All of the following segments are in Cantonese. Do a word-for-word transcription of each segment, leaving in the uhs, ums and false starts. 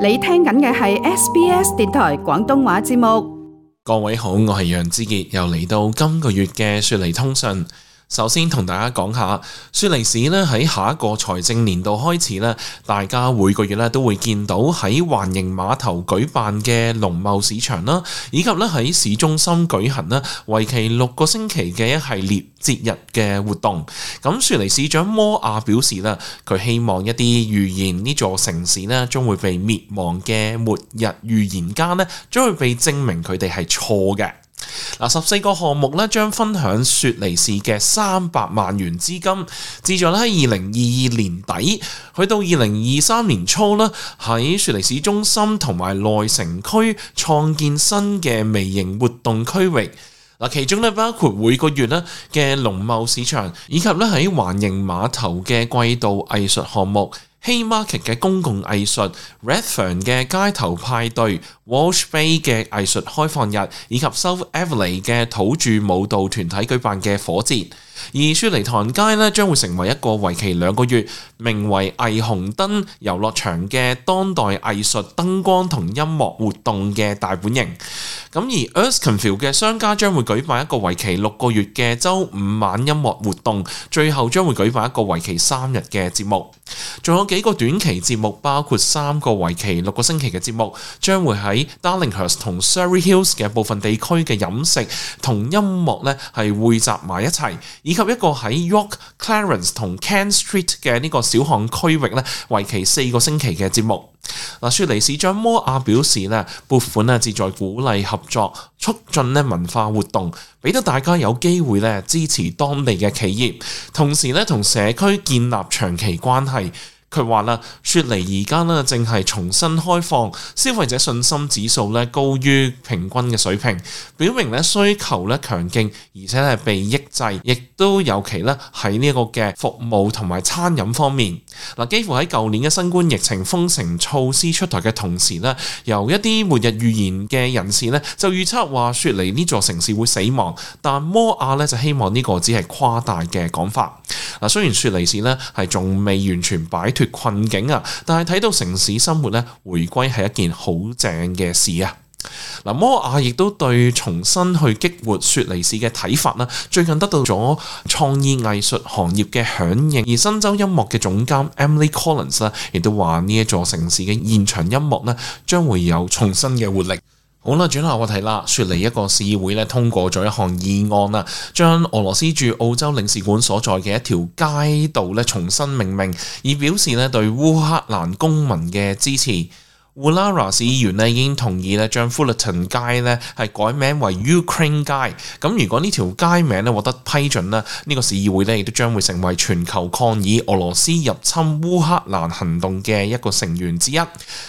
你聽緊嘅係 S B S 電台廣東話節目。各位好，我係楊之傑，又嚟到今個月嘅雪梨通訊。首先同大家講下，雪梨市咧喺下一個財政年度開始咧，大家每個月咧都會見到喺環形碼頭舉辦嘅農貿市場啦，以及咧喺市中心舉行啦，為期六個星期嘅一系列節日嘅活動。咁雪梨市長摩亞表示啦，佢希望一啲預言呢座城市咧將會被滅亡嘅末日預言家咧，將會被證明佢哋係錯嘅。嗱，十四個項目咧將分享雪梨市嘅三百萬元資金，旨在喺二零二二年底去到二零二三年初啦，喺雪梨市中心同埋內城區創建新嘅微型活動區域。嗱，其中咧包括每個月咧嘅農貿市場，以及咧喺環形碼頭嘅季度藝術項目。Haymarket 嘅公共藝術、Redfern 嘅街頭派對、Walsh Bay 嘅藝術開放日，以及 South Eveleigh 嘅土著舞蹈團體舉辦嘅火節。而雪梨唐街咧將會成為一個為期兩個月，名為霓虹燈遊樂場嘅當代藝術燈光同音樂活動嘅大本營。咁而 Erskineville 嘅商家將會舉辦一個為期六個月嘅週五晚音樂活動，最後將會舉辦一個為期三日嘅節目。仲有幾個短期節目，包括三個為期六個星期嘅節目，將會喺 Darlinghurst 同 Surrey Hills 嘅部分地區嘅飲食同音樂咧係匯集埋一齊，以及一個喺 York、Clarence 同 Kent Street 嘅呢個小巷區域咧，為期四個星期嘅節目。嗱，雪梨市長摩亞表示咧，撥款咧旨在鼓勵合作，促進咧文化活動，俾到大家有機會咧支持當地嘅企業，同時咧同社區建立長期關係。佢話啦，雪梨而家咧正係重新開放，消費者信心指數咧高於平均嘅水平，表明咧需求咧強勁，而且係被抑制，亦都尤其咧喺呢一個嘅服務同埋餐飲方面。嗱，幾乎喺舊年嘅新冠疫情封城措施出台嘅同時咧，由一啲末日預言嘅人士咧就預測話雪梨呢座城市會死亡，但摩亞咧就希望呢個只係誇大嘅講法。嗱，雖然雪梨市咧係仲未完全擺脫困境啊，但係睇到城市生活咧回歸係一件好正嘅事啊！嗱，摩亞亦都對重新去激活雪梨市嘅睇法啦，最近得到咗創意藝術行業嘅響應，而新州音樂嘅總監 Emily Collins 啦，亦都話呢一座城市嘅現場音樂咧將會有重新嘅活力。好啦，轉下話題啦。雪梨一個市議會咧通過咗一項議案啦，將俄羅斯駐澳洲領事館所在嘅一條街道咧重新命名，以表示咧對烏克蘭公民嘅支持。Woollahra 市議員咧已經同意咧將 Fullerton 街咧係改名為 Ukraine 街。咁如果呢條街名咧獲得批准咧，呢、呢個市議會咧亦都將會成為全球抗議俄羅斯入侵烏克蘭行動嘅一個成員之一。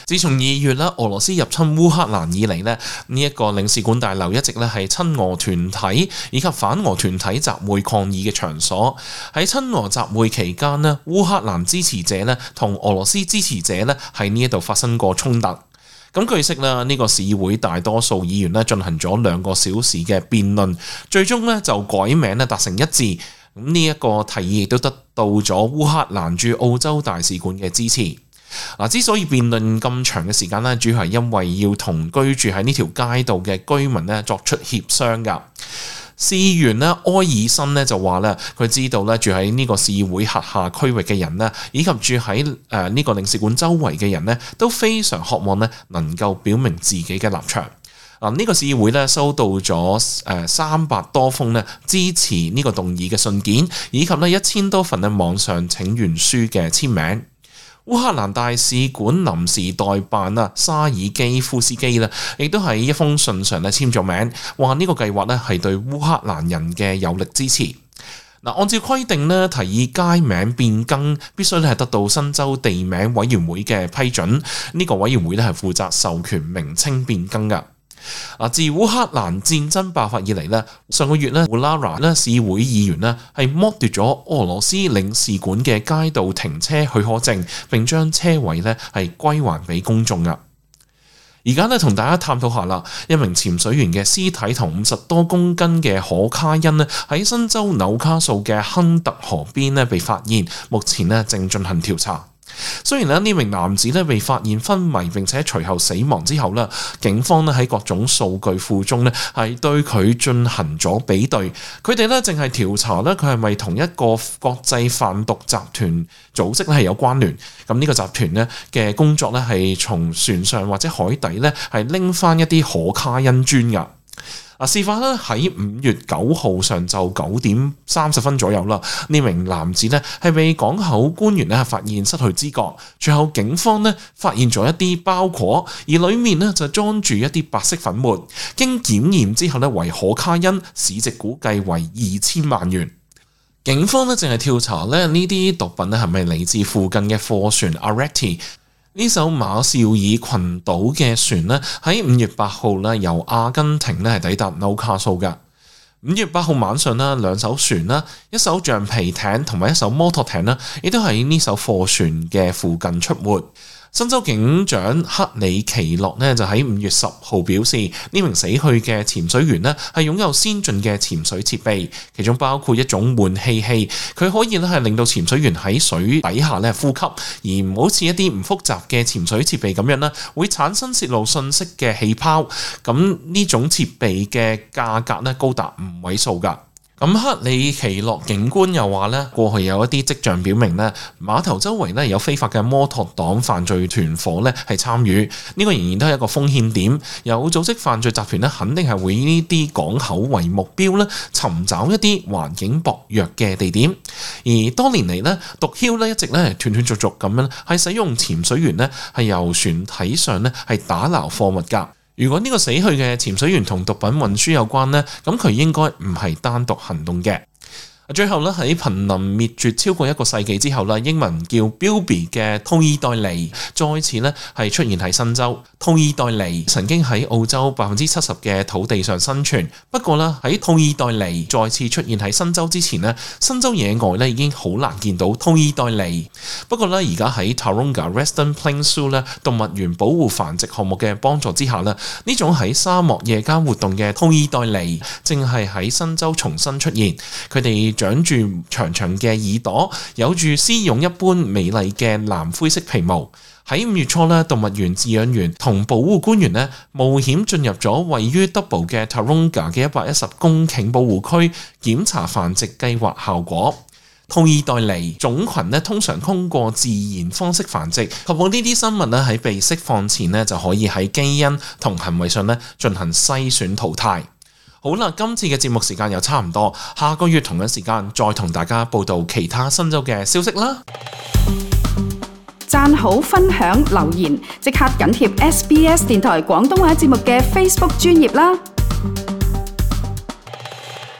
自從二月啦，俄羅斯入侵烏克蘭以嚟咧，呢、呢、一個領事館大樓一直咧係親俄團體以及反俄團體集會抗議嘅場所。喺親俄集會期間咧，烏克蘭支持者咧同俄羅斯支持者咧喺呢一度發生過衝突。咁據悉啦，呢個市議會大多數議員咧進行咗兩個小時嘅辯論，最終咧就改名咧達成一致。咁呢一個提議亦都得到咗烏克蘭駐澳洲大使館嘅支持。嗱，之所以辯論咁長嘅時間咧，主要係因為要同居住喺呢條街道嘅居民咧作出協商㗎。市議員咧埃爾森咧就話咧，佢知道咧住喺呢個市議會轄下區域嘅人咧，以及住喺誒呢個領事館周圍嘅人咧，都非常渴望咧能夠表明自己嘅立場。嗱，呢個市議會咧收到咗誒三百多封咧支持呢個動議嘅信件，以及咧一千多份嘅網上請願書嘅簽名。烏克蘭大使館臨時代辦啊沙爾基夫斯基咧，亦都喺一封信上咧簽咗名，話呢個計劃咧係對烏克蘭人嘅有力支持。嗱，按照規定咧，提議街名變更必須咧係得到新州地名委員會嘅批准，呢個委員會咧係負責授權名稱變更噶。嗱，自烏克蘭戰爭爆發以嚟咧，上個月咧，Woollahra 咧市會議員咧係剝奪咗俄羅斯領事館嘅街道停車許可證，並將車位咧係歸還俾公眾噶。而家咧同大家探討下啦，一名潛水員嘅屍體同五十多公斤嘅可卡因咧喺新州紐卡素嘅亨特河邊咧被發現，目前咧正進行調查。雖然咧呢名男子咧被發現昏迷並且隨後死亡之後咧，警方咧喺各種數據庫中咧係對佢進行咗比對，佢哋咧淨係調查咧佢係咪同一個國際販毒集團組織咧係有關聯。咁呢個集團咧嘅工作咧係從船上或者海底咧係拎翻一啲可卡因磚噶。啊，事發咧喺五月九號上晝九點三十分左右啦。呢名男子咧係被港口官員咧發現失去知覺，隨後警方咧發現咗一啲包裹，而裡面咧就裝住一啲白色粉末，經檢驗之後咧為可卡因，市值估計為二千萬元。警方咧淨係調查咧呢啲毒品咧係咪嚟自附近嘅貨船 Areti。呢艘馬紹爾群島嘅船呢，喺五月八號呢由阿根廷呢係抵達紐卡素嘅。五月八號晚上呢，兩艘船啦，一艘橡皮艇同埋一艘摩托艇呢，亦都喺呢艘貨船嘅附近出沒。新州警長克里奇諾呢就喺五月十號表示，呢名死去嘅潛水員呢係擁有先進嘅潛水設備，其中包括一種換氣器，佢可以咧係令到潛水員喺水底下咧呼吸，而唔好似一啲唔複雜嘅潛水設備咁樣啦，會產生泄露信息嘅氣泡。咁呢種設備嘅價格咧高達五位數㗎。咁克里奇諾警官又話咧，過去有一啲跡象表明咧，碼頭周圍咧有非法嘅摩托黨犯罪團伙咧係參與，呢個仍然都係一個風險點。有組織犯罪集團咧，肯定係會以呢啲港口為目標咧，尋找一啲環境薄弱嘅地點。而多年嚟咧，毒梟咧一直咧斷斷續續咁樣係使用潛水員咧係由船體上咧係打撈貨物㗎。如果呢個死去嘅潛水員同毒品運輸有關呢，咁佢應該唔係單獨行動嘅。最後咧喺瀕臨滅絕超過一個世紀之後啦，英文叫 Bilby 嘅兔耳袋狸再次咧係出現喺新州。兔耳袋狸曾經喺澳洲百分之七十嘅土地上生存，不過咧喺兔耳袋狸再次出現喺新州之前咧，新州野外咧已經好難見到兔耳袋狸。不過咧而家喺 Taronga Western Plains Zoo 咧動物園保護繁殖項目嘅幫助之下咧，呢種喺沙漠夜間活動嘅兔耳袋狸正係喺新州重新出現。佢哋長住長長嘅耳朵，有住絲絨一般美麗嘅藍灰色皮毛。喺五月初咧，動物園飼養員同保護官員咧冒險進入咗位於 Double 嘅 Taronga 嘅一百一十公頃保護區，檢查繁殖計劃效果。兔耳袋狸種群咧通常通過自然方式繁殖，確保呢啲生物咧喺被釋放前咧就可以喺基因同行為上咧進行篩選淘汰。好啦，今次嘅節目時間又差唔多，下個月同樣時間再同大家報道其他新州嘅消息啦。讚好、分享、留言，即刻緊貼 S B S 電台廣東話節目嘅 Facebook 專頁啦。